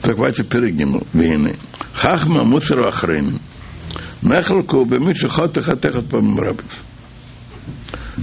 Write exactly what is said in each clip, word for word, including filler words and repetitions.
זאגט ווייטער פרק ג', והנה, חכמי המוסר האחרונים נחלקו במי שחטא חטא אחד פעמים רבות.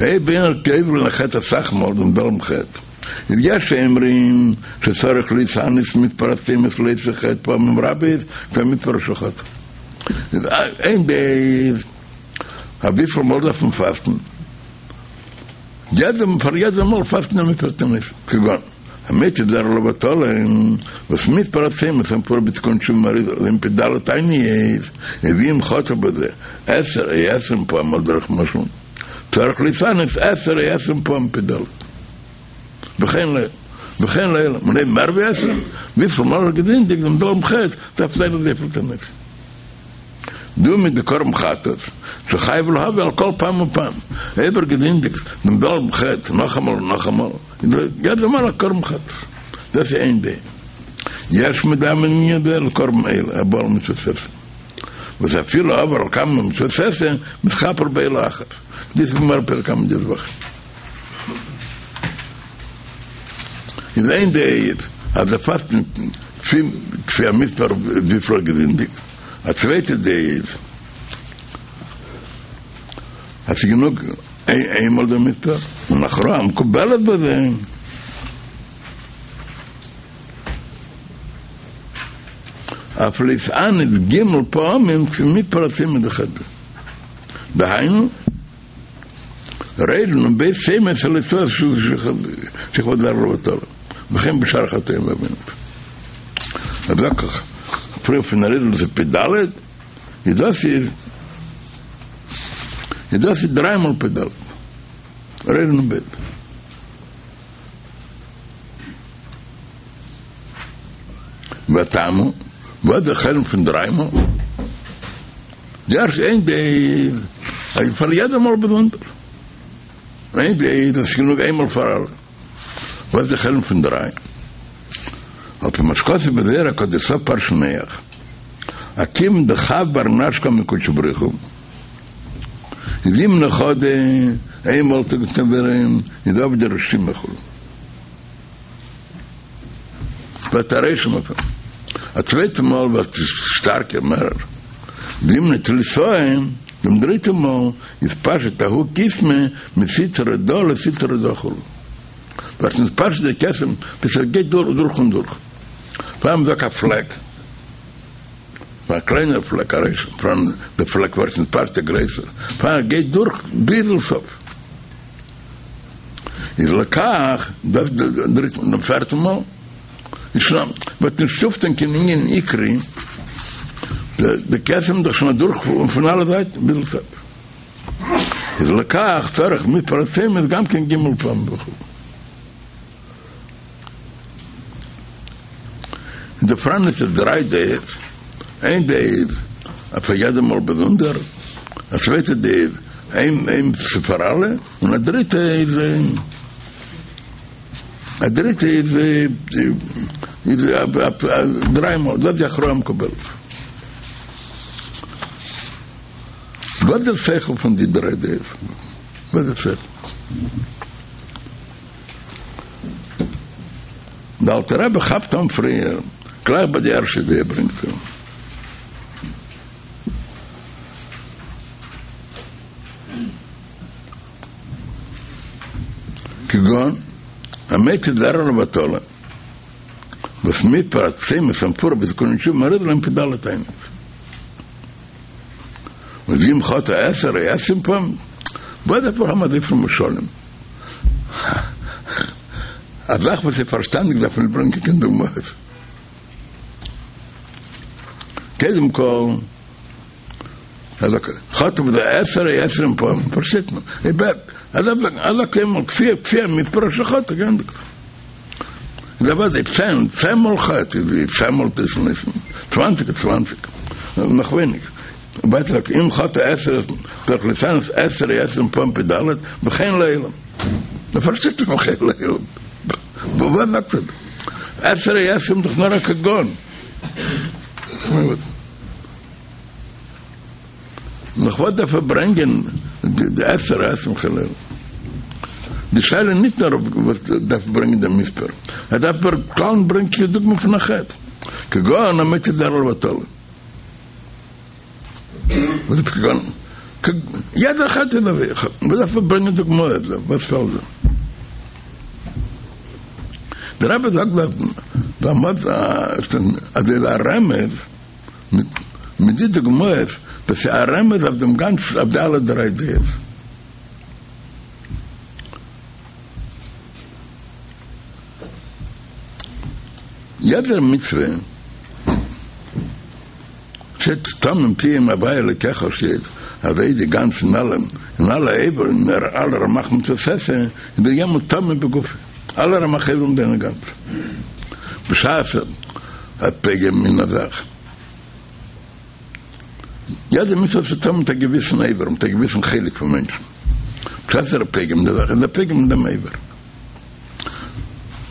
אויב איינער האט עובר געווען א חטא אסאך מאל דעם זעלבן חטא, איז יש אומרים שצריך להתענות מספר הצומות לאותו חטא פעמים רבות כפי המספר שחטא. איז איין דעה איז אז וויפיל מאל דארף מען פאסטן? יעדע פאר יעדע מאל פאסטן א מספר תענית, כגון המוציא זרע לבטלה וואס מספר הצומות המפואר בתיקון תשובה מהאריז"ל הם פ"ד תעניות, ואם חטא בזה עשר או עשרים פעם על דרך משל, צריך להתענות עשר או עשרים פעם פ"ד. וכן ל וכן להלן, און אויב מער ווי עשרים, וויפיל מאל ער האט געזינדיגט דעם זעלבן חטא, דארף זיין אזויפיל תענית. דא מיט די קרבן חטאת, שחייב להביא על כל פעם ופעם, אויב ער געזינדיגט דעם זעלבן חטא נאכאמאל און נאכאמאל, איז יעדע מאל א קרבן חטאת. דאס איז איין דעה. יש מדמין ענין זה לקרבן עולה הבא על מצוות עשה, וואס אפילו עבר על כמה מצוות עשה, מתכפר בעולה אחת. דאס איז גמרא פרק ל"ט זבחים. איז איין דעה איז אז ער פאסט כפי המספר וויפיל ער האט געזינדיגט, א צווייטע דעה איז אז ס'איז גענוג איינמאל דער מספר, און הכרעה המקובלת בזה אף להתענות ג' פעמים כפי מספר הצומות דחטא, דהיינו ריש נון בית צומות על הוצאת שכבת זרע לבטלה, וכן בשאר חטאים ועוונות. אז לקח פריער פון אריז"ל איז פ"ד, איז דאס איז איז דאס איז דריי מאל פ"ד. ריש נון בית. והטעם הוא, וואס דער חשבון פון דריי מאל? די ערשטע איין דעה איז אז פאר יעדע מאל באזונדער. איין דעה איז אז ס'גענוג איינמאל פאר אלע. וואס די חשבון פון דריי? על פי מה שכתוב בזוהר הקדוש סוף פרשת נח, אז כיון דחב בר נש קמי קודשא בריך הוא, זימנא חדא איינמאל האט ער געטון ווערען איז עבדי רשימא כו' ווערט א רושם אויף אים, א צווייטע מאל ווערט עס שטארקער מערער, זימנא תליתאי דעם דריטע מאל איז פשט ההוא כסמא מסטרא דא לסטרא דא כו' ווערט נתפשט די כתם ביז עס גייט דורך און דורך, פאר מ'זאגט א פלעק. פאר א קליינער פלעק א רושם פאראן די פלעק ווערט נתפשט גרעסער פאר ער גייט דורך ביזן סוף איז לכך דאס דריטן און פערטן מאל איז שוין וועט נישט אויפטון קיין ענין עיקרי די כתם דאך שוין אדורך פון אלע זייטן ביזן סוף איז לכך צריך מספר הצומות גם כן ג' פעמים וכו'. און דא פאראן איז דריי דעות, איין דעה איז אז פאר יעדע מאל באזונדער, א צווייטע דעה איז איין איין פאר אלע, און א דריטע איז א דריטע איז איז דריי מאל, דאס איז די הכרעה המקובלת. וואס איז דער שכל פון די דריי דעות? וואס איז דער שכל? דער אלטער רבי כאפט אן פריער, גלייך ביי די ערשטע דעה ברענגט ער. כגון המוציא זרע לבטלה, וואס מספר הצומות המפואר בתיקוני תשובה מהאריז"ל הם פ"ד תעניות. און ואם חטא עשר או עשרים פעם, וואס דארף איך האבן אזויפיל משלים? א זאך וואס איז פארשטאנדיג דארף מען נישט ברענגען קיין דוגמאות. קודם כל, חטא בזה עשר או עשרים פעם, פארשטייט מען. אלא קודם כפי כפי המספר שחטא, געענדיגט. איז אוודאי צען, צען מאל חטא איז צען מאל תענית, צוואנציג איז צוואנציג, נאך ווייניג. ווייטער אם חטא עשר צריך להתענות עשר או עשרים פעם פ"ד וכן להלן. מ'פארשטייט דאך וכן להלן. וואס זאגט ער דא? עשר או עשרים דאך נאר א כגון. נאך וואס דארף ער ברענגען די עשר או עשרים וכן להלן? די שאלה איז נישט נאר וואס דארף ברענגען דעם מספר, ער דארף בכלל נישט ברענגען קיין דוגמא פון א חטא. כגון המוציא זרע לבטלה. וואס איז כגון? יעדער חטא איז אזוי, וואס דארף מען ברענגען דוגמאות דא? וואס פעלט דא? דער רבי זאגט דארט אז איז א רמז מיט די דוגמאות, דאס איז א רמז אויף דעם גאנצן, אויף די אלע דריי דעות. יעדער מצוה שטייט תמים תהיה עם הוי' אלוקיך שטייט אזוי די גאנצע אין אלע אין אלע איברים אין אלע רמ"ח מצוות עשה איז דער יעמאלט תמים בגופו אלע רמ"ח איברים זענען גאנץ בשעת א פגם אין א זאך יעדע מצוה האט צו טון מיט א געוויסן אבר מיט א געוויסן חלק פון מענטשן בשעת ער איז פוגם אין די זאך איז ער פוגם אין דעם אבר.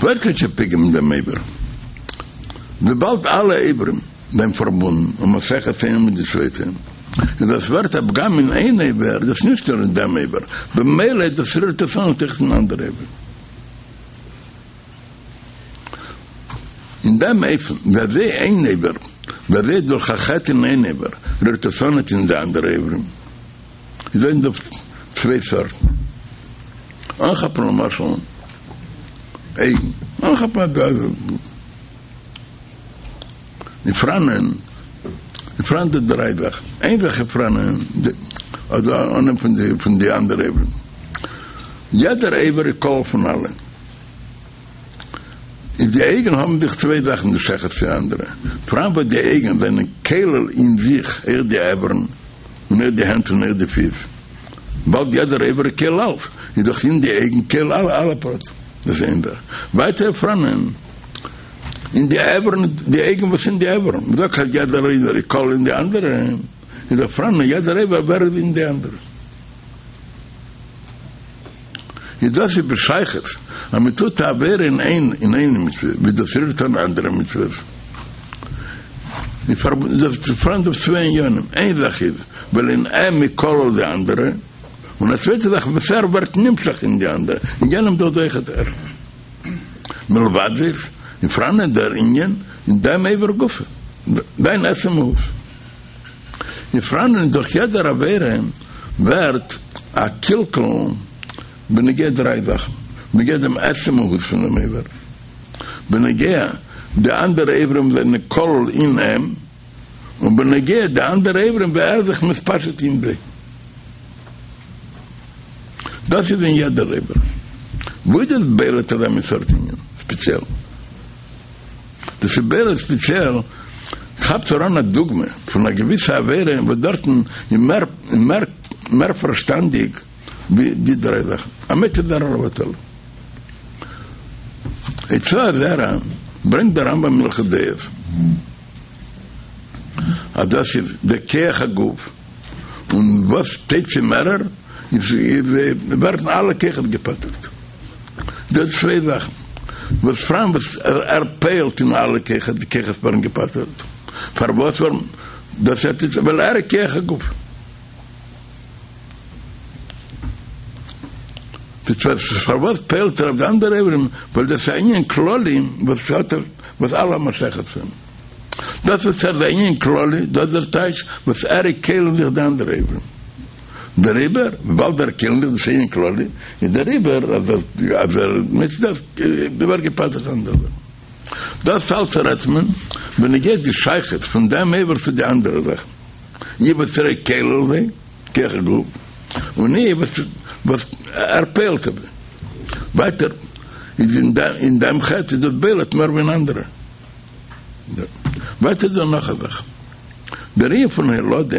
ווערט נישט פוגם אין דעם אבר, וויבאלד אלע איברים זענען פארבונדן און האבן שייכות איינע מיט די צווייטע, איז אז ס'ווערט א פגם אין איין אבר, איז דאס נישט נאר אין דעם אבר, במילא דאס רירט עס אן אויך אין אנדערע איברים. אין דעם אופן ווי אזוי איין אבר, ווי אזוי דורך א חטא אין איין אבר רירט עס אן אין די אנדערע איברים. איז דא צוויי סארטן. אנכאפן למשל אויגן, אנכאפן א דאזע. איז פאראנען, איז פאראן דא דריי זאכן. איין זאך איז פאראנען, אדער אנהייבן פון די פון די אנדערע איברים. יעדער איבר איז כולל פון אלע. איז די אויגן האבן זיך צוויי זאכן די שייכות צו אנדערע. פאראן וואס די אויגן זענען כולל אין זיך אויך די איברים. און אויך די הענט און אויך די פיס, וויבאלד יעדער איבר איז כולל אלץ, איז דאך אין די אויגן כולל אלע אלע פרטים, דאס איז איין זאך. ווייטער פאראנען אין די איברים, די אויגן וואס אין די איברים, מ'זאגט אז יעדער איבר איז כולל אין די אנדערע, איז דאך פאראנען יעדער איבר ווער איז אין די אנדערע. איז דאס איז בשייכות אז מען טוט א עבירה אין איין אין איין מצוה ווי דאס רירט אן אנדערע מצוות. איז פאראן דא צוויי עניינים, איין זאך איז ווייל אין אים איז כולל די אנדערע, און א צווייטע זאך וואס ער ווערט נמשך אין די אנדערע, אין יענעם דאך אויכעט ער. מלבד זה איז פאראן דער ענין אין דעם איבר גופא, זיין עצם מהות. איז פאראן דורך יעדער עבירה ווערט א קלקול בנוגע דריי זאכן, בנוגע דעם עצם מהות פון דעם איבר, בנוגע די אנדערע איברים זענען כולל אין אים, און בנוגע די אנדערע איברים ווי ער איז זיך מתפשט אין זיי. דאס איז אין יעדער איבר. וואו איז דאס בולט אזא מין סארט ענין ספעציעל? דאס איז בולט ספעציעל, כאפט אריין א דוגמא פון א געוויסע עבירה וואס דארטן איז מער מער מער פארשטאנדיג ווי די דריי זאכן, המוציא זרע לבטלה. הוצאת זרע ברענגט דער רמב"ם אין הלכות דעות אז דאס איז די כח הגוף און וואס תוציא מערער איז ווערן אלע כוחות געפטר'ט. דאס איז צוויי זאכן וואס פאראן וואס ער פועל'ט אין אלע כוחות די כוחות ווערן געפטר'ט פארוואס ווארום דאס האט איז ווייל ער איז כח הגוף פארוואס פועל'ט ער אויף די אנדערע איברים ווייל דאס איז א ענין כללי וואס האט ער וואס אלע האבן א שייכות צו אים דאס וואס ער איז א ענין כללי דאס איז דער טייטש וואס ער איז כולל אין זיך די אנדערע איברים. דעריבער, וויבאלד ער כולל אין זיך דאס ענין כללי, איז דעריבער אז אז ער מוציא דאס ווערט געפטר'ט אנדערע זאכן. דאס אלץ רעדט מען בנוגע די שייכות פון דעם איבר צו די אנדערע זאכן, אי וואס ער איז כולל זיי, כח הגוף, און אי וואס וואס ער פועל'ט אויף זיי. ווייטער איז אין דעם חטא איז דאס בולט מער ווי אין אנדערע. ווייטער איז דא נאך א זאך. דער ענין פון הולדה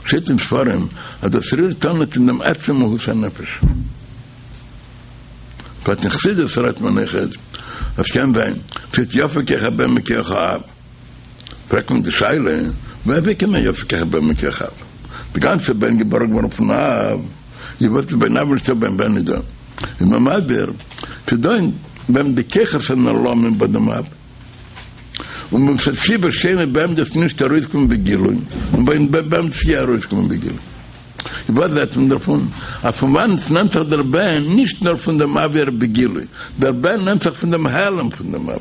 שטייט אין ספרים אז דאס רירט אן אין דעם עצם מהות הנפש. בפרט אין חסידות רעדט מען אויכעט אז קען זיין שטייט יפה כח הבן מכח האב. פרעגט מען די שאלה ווי אזוי קען זיין יפה כח הבן מכח האב? די גאנצע בן געבארן געווארן פון אב, איז וואס איז ביים אב נישטא ביים בן איז דא. איז מען מסביר ס'דא אין ביים די כוחות הנעלמים ביי דעם אב. און מצד סיבה שאינה ביי אים דאס נישט ארויסקומען בגילוי, און ביים בן איז יא ארויסקומען בגילוי. איז וואס זעט מען דערפון? אז פון וואנעט נעמט זיך דער בן? נישט נאר פון דעם אב ווי ער בגילוי, דער בן נעמט זיך פון דעם העלם פון דעם אב.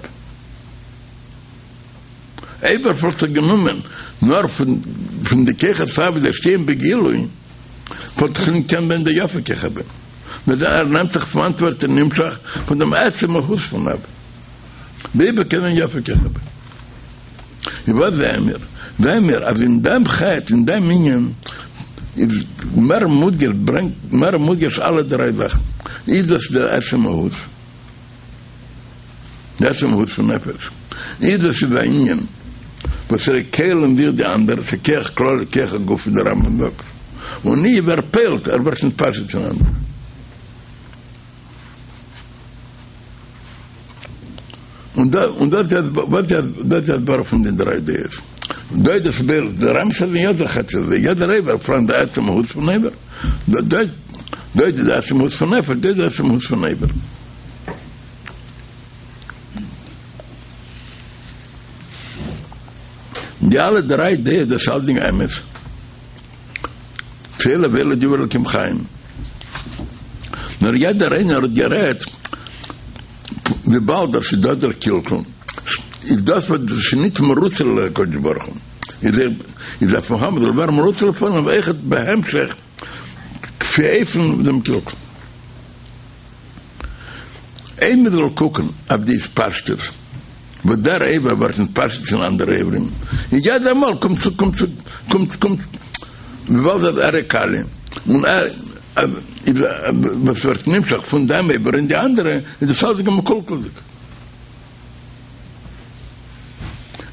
אויב ער וואלט זיך גענומען נאר פון די כוחות האב ווי זיי שטייען בגילוי, וואלט דאך נישט געקענט זיין די יפה כח הבן. נאר ער נעמט זיך פון וואנעט ווערט ער נמשך פון דעם עצם מהות פון אב. דער אבר קען זיין יפה כח הבן. און וואס זעען מיר? זעען מיר אז אין דעם חטא, אין דעם ענין, איז מער מודגש, ברענגט מער מודגש אלע דריי זאכן. איז דאס דער עצם מהות. די עצם מהות פון נפש. איז דאס איז א ענין וואס ער איז כולל אין זיך די אנדערע, ס'איז כח כללי כח הגוף ווי דער רמב"ם זאגט, און אויב ער פועל'ט, ער ווערט נתפשט אין אנדערע. און דא און דאס איז וואס איז דאס איז הסברה פון די דריי דעות. דא איז דאס בולט, דער אמת איז אין יעדער חטא איז יעדער אבר פאראן די עצם מהות פון אבר, דא דא דא איז די עצם מהות פון נפש, דא איז די עצם מהות פון אבר. די אלע דריי דעות דאס אלדינג אמת. ואלה ואלה דברי אלקים חיים. נאר יעדער איינער האט גערעדט וויבאלד אז ס'איז דא דער קלקול, איז דאס וואס ס'איז ניט מרוצה להקדוש ברוך הוא, איז ער איז דארף מען האבן זאל ווערן מרוצה לפניו אויכעט בהמשך כפי אופן דעם קלקול. אויב מען זאל קוקן אויף די התפשטות וואס דער אבר ווערט נתפשט אין אנדערע איברים, און יעדע מאל קומט צו קומט צו קומט קומט וויבאלד אז ער איז כלי און ער איז וואס ווערט נמשך פון דעם אבר אין די אנדערע איז דאס אלץ מקולקל'דיג.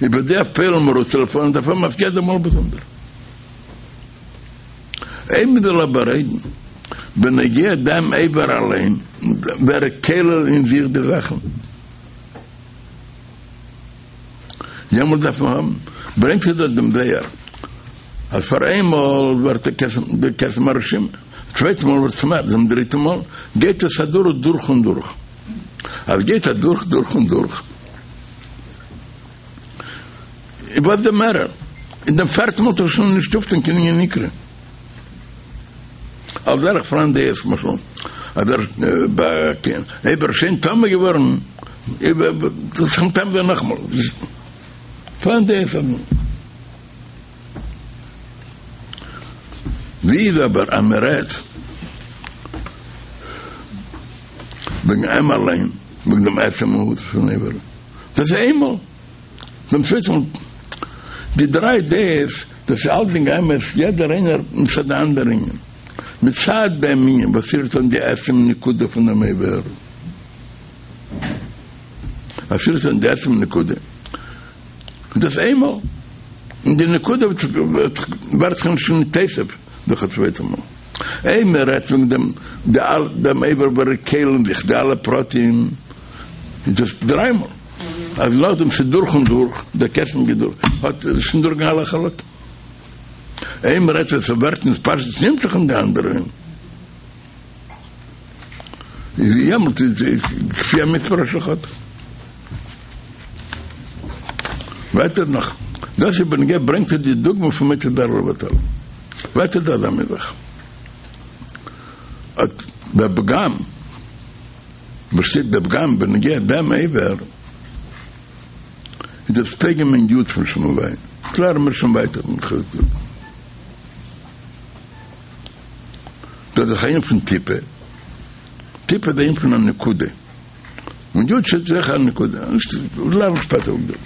איבער די פועל'ן מרוצה לפניו דארף האבן אויף יעדע מאל באזונדער. אויב מען זאל אבער רעדן בנוגע דעם אבר אליין, ווי ער כולל אין זיך די זאכן, יעמאלט דארף מען האבן, ברענגט ער דארט דעם זוהר, אז פאר איינמאל ווערט די כתם הרשימה, צווייטע מאל ווערט עס מער, דעם דריטע מאל גייט עס אדורך דורך און דורך, אז גייט אדורך דורך און דורך. איז וואס דער מערער אין דעם פערטן מאל טאר שוין נישט אויפטון קיין ענין עיקרי. על דרך פאראן דעות למשל אז ער ביי אויב ער איז שוין טמא געווארן זאל זיך מטמא זיין נאכאמאל. פאראן דעות אז ווי איז אבער אז מען רעדט וועגן אים אליין, וועגן דעם עצם מהות פון אבר, דאס איז איינמאל. דעם צווייטן מאל, די דריי דעות, דאס איז אלסדינג אמת, יעדער איינער מצד די אנדערע ענין. מצד דעם ענין וואס רירט אן די עצם נקודה פון דעם אבר, עס רירט אן די עצם נקודה, איז דאס איינמאל, און די נקודה ווערט זיך נישט נתוסף דורך א צווייטע מאל. אויב מען רעדט וועגן דעם דעם אבר ווי ער כולל אין זיך די אלע פרטים, איז דאס דריי מאל. אז נאכדעם ס'איז דורך און דורך, דער כתם גייט דורך, האט שוין דורך אלע חלקים. אויב מ'רעדט ווען ס'ווערט נתפשט נמשך אין די אנדערע, איז יעמאלט איז כפי המספר אשר חטא. ווייטער נאך, דאס איז בנוגע ברענגט ער די דוגמא פון מוציא זרע לבטלה. ווייטער דא אזא מין זאך. אט דער פגם. וואס שטייט דער פגם בנוגע דעם אבר איז דאס פוגם אין יוד פון שם הוויה, קלערן מיר שוין ווייטער אין חלק י'. דאס איז דאך א ענין פון טיפה, טיפה איז א ענין פון א נקודה, און יוד שטייט זיכער א נקודה, לערן שפעטער אויף דעם.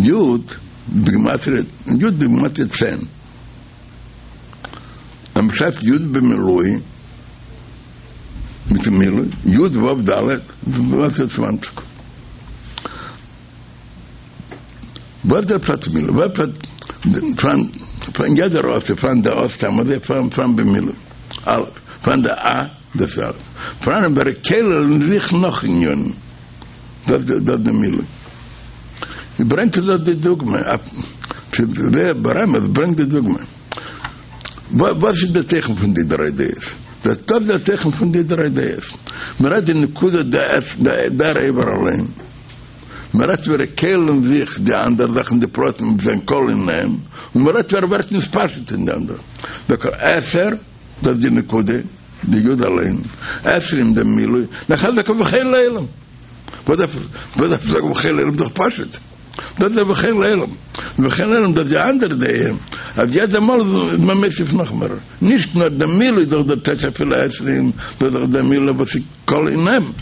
יוד בגימטריא, יוד בגימטריא צען. אז מ'שרייבט י' במילוי, מיטן מילוי, י' ו' ד', ווערט עס צוואַנציק. וואס דער פשט מילוי? וואס פשט פאראן פאראן יעדער אות איז פאראן דער אות סתם אזוי פאראן פאראן במילוי א' פאראן דער א דאס איז א' פאראן ווי ער כולל אין זיך נאך ענינים דאס דאס דער מילוי. ברענגט ער דארט די דוגמא, ברמז ברענגט די דוגמא. וואס איז די תוכן פון די דריי דעות? דאס איז די תוכן פון די דריי דעות. מען רעדט די נקודה דער אבר אליין. מען רעדט ווי ער כולל אין זיך די אנדערע זאכן די פרטים וואס זענען כלול אין אים, און מען רעדט ווי ער ווערט נתפשט אין די אנדערע. דוקא עשר, דאס איז די נקודה, די יוד אליין, עשרים דעם מילוי, נאכהער זאגט ער וכן לעולם. וואס דארף וואס דארף זאגן ובכן לעולם דאך פשוט דאס איז ובכן לעולם ובכן לעולם דאס די אנדערע דעה אז יעדע מאל איז מען מוסיף נאך מער נישט נאר די מילוי איז דאך דער טייטש אפילו עשרים דאס איז דאך די מילוי וואס איז כל אינם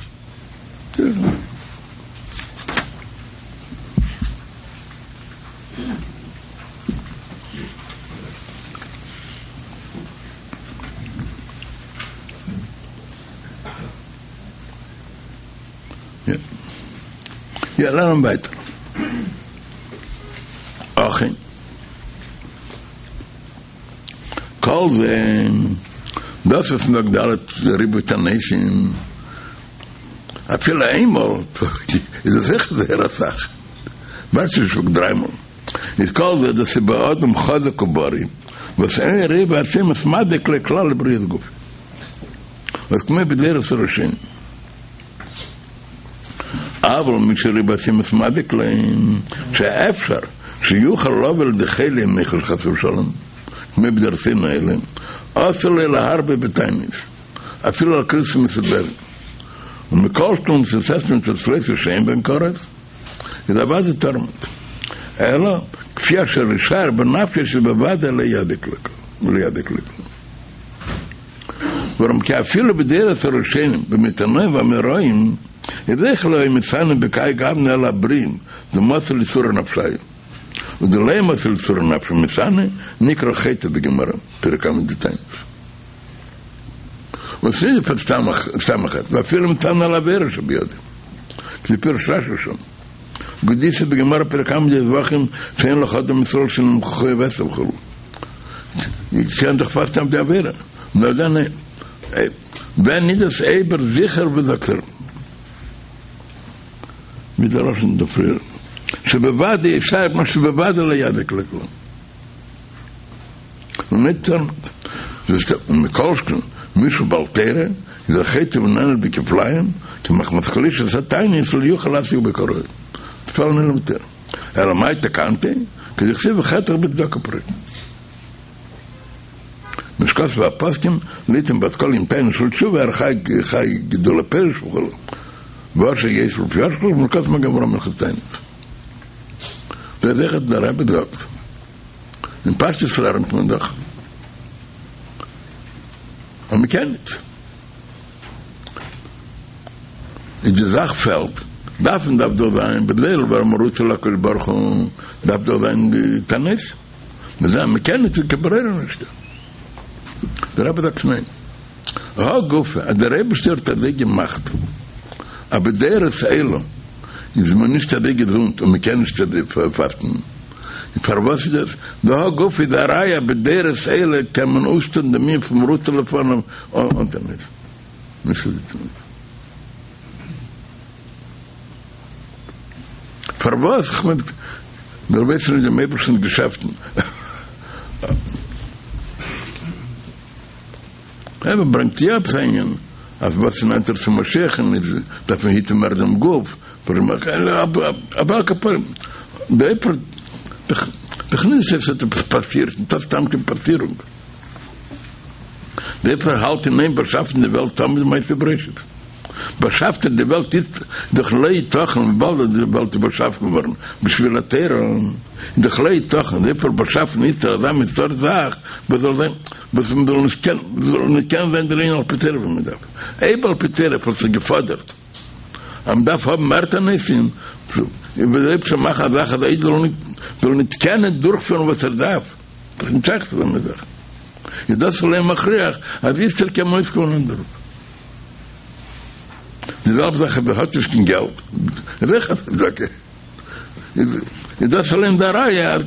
יא, לערנען ווייטער. אכן. כל זה, דאס וואס מ'זאגט ד' ריבוי תעניתים, אפילו איינמאל, איז עס זיכער זייער אסאך. ווער נישט זאגט דריי מאל. איז כל זה דאס איז באדם חזק ובריא, וואס אין ריבוי הצומות מזיק לו כלל לבריאות גופו. וואס כמו בדורות הראשונים. אבל מי שריבוי הצומות מזיק לו, שאפשר שיוכל לבוא לידי חולי מיחוש חס ושלום, כמו בדורותינו אלה, אסור לו להרבות בתענית, אפילו על כריתות מסודרת. ומכל שכן מצות עשה ומצות לא תעשה שאין בהן כרת, איז אוודאי טאר מען ניט. אלא כפי אשר ישער בנפשו שבוודאי לא יזיק לו כלום. ווארום כי אפילו בדורות הראשונים בימי תנאים ואמוראים איז אויך לא היו מתענין בכהאי גוונא אלא הבריאים דמצו לאיסורא נפשייהו ודלא מצי לאיסורא נפשיה ומתעני נקרא חוטא בגמרא פרק קמא דתענית און ס'איז נישט סתם א חטא ואפילו מתענה על עבירה שבידו כפי פירוש רשי שם וכדאיתא בגמרא פרק קמא דזבחים שאין לך אדם מישראל שנמחכו ועשו וכו' קען דאך פאסטן אויף די עבירה נאר דען ווען איז דאס אויב ער זיכער וואס זאגט ער מיט דער לשון דא פריער שבוודאי ישער מה שבוודאי לא יזיק לו כלום און ניט ומכל שכן מי שהוא בעל תורה איז ער חוטא ונענש בכפליים כי מחמת חלישות התענית לא יוכל לעסוק בו כראוי תפאר נעלם יותר אלא מאי תקנתיה כדכתיב וחטאך בצדקה פרוק מה שכתבו הפוסקים ליתן בת קול עם תענית של תשובה חי חי גידול הפירות וכו' ואשר יש לפי אשכול ומרכז מגן אברהם הלכות תענית דאס זאגט דער רבי זאגט אין פשטות לערנט מען דאך און מ'קען ניט. איז די זאך פעלט, דארף מען דארף דאך זיין בליל ווארום רצה להקדוש ברוך הוא דארף דאך זיין די תענית, מ'זען מ'קען ניט קיין ברירה נישטא. דער רבי זאגט ניין. הא גופא אז דער אייבערשטער האט אזוי געמאכט אז בדורות אלו איז מען נישט אזוי געזונט און מ'קען נישט אזוי פאסטן, און פארוואס איז דאס? דהא גופא איז א ראיה אז בדורות אלה קען מען אויפטון דעם ענין פון רצה לפניו אן תענית. נישט אזוי תמיד. פארוואס? כ'מיין, מיר ווייסן נישט דעם אייבערשטנ'ס געשעפטן. אבער ברענגט יא עפעס א ענין אז וואס איז נענטער צו משיח'ן איז דארף מען היטן מער דעם גוף, אבער על כל פנים די דאך נישט עס האט עפעס פאסירט, נישטא סתם קיין פאסירונג, דער אייבערשטער האלט אין איין באשאפן די וועלט תמיד מעשה בראשית באשאפט ער די וועלט איז דאך לא יתכן וויבאלד אז די וועלט איז באשאפן געווארן בשביל התורה איז דאך לא יתכן דער אייבערשטער באשאפן איצטער אזא מין סארט זאך וואס זאל זיין וואס מען זאל נישט קענען, זאל נישט קענען זיין דער ענין על פי תורה ווי מען דארף, אויב על פי תורה וואלט זיך געפאדערט אז מען דארף האבן מער תעניתים, וועט דער אייבערשטער מאכן א זאך אז א איד זאל נישט זאל נישט קענען דורכפירן וואס ער דארף, דאך נישט שייך צו אזא זאך, איז דאס אליין מכריח אז איצטער קען מען אויסקומען אן דערויף. די זעלבע זאך אויב ער האט נישט קיין געלט, איז אויך א צדקה, איז דאס אליין די ראיה אז.